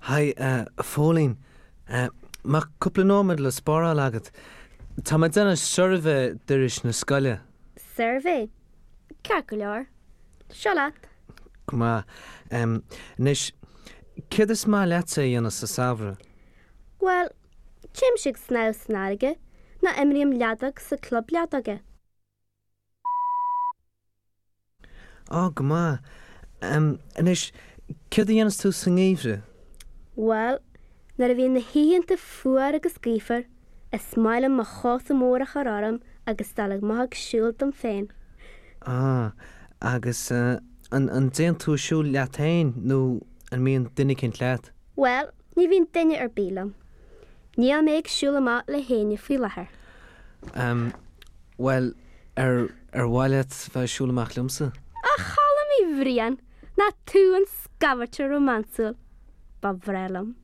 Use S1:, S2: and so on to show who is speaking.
S1: Haigh, a Phóilín. Mbeadh cúpla nóiméad le spáráil agat? Tá mé ag déanamh suirbhé d'iris na scoile.
S2: Suirbhé? Ceart go leor. Seo leat.
S1: Go maith. Anois, céard is maith leatsa a dhéanamh sa samhradh?
S2: Bhuel, téimse ag snámh san fharraige nó imrím leadóg sa club leadóige.
S1: Á, go maith. Anois, céard a dhéanas tú sa ngeimhreadh?
S2: Bhuel, nuair a bhíonn na hoícheanta fuar agus gaofar, is maith liom mo chóta mór a chur orm agus dul amach ag siúl dom féin.
S1: Á, agus an dtéann tú ag siúl leat féin nó an mbíonn duine eicínt leat?
S2: Bhuel, ní bhíonn duine ar bith liom. Níl mé ag siúl amach le héinne faoi láthair.
S1: Bhuel, ar, ar mhaith leat bheith ag siúl amach liomsa?
S2: A Choilm Uí Bhriain, nach tú an scabhairte rómánsúil! Ba bhreá liom.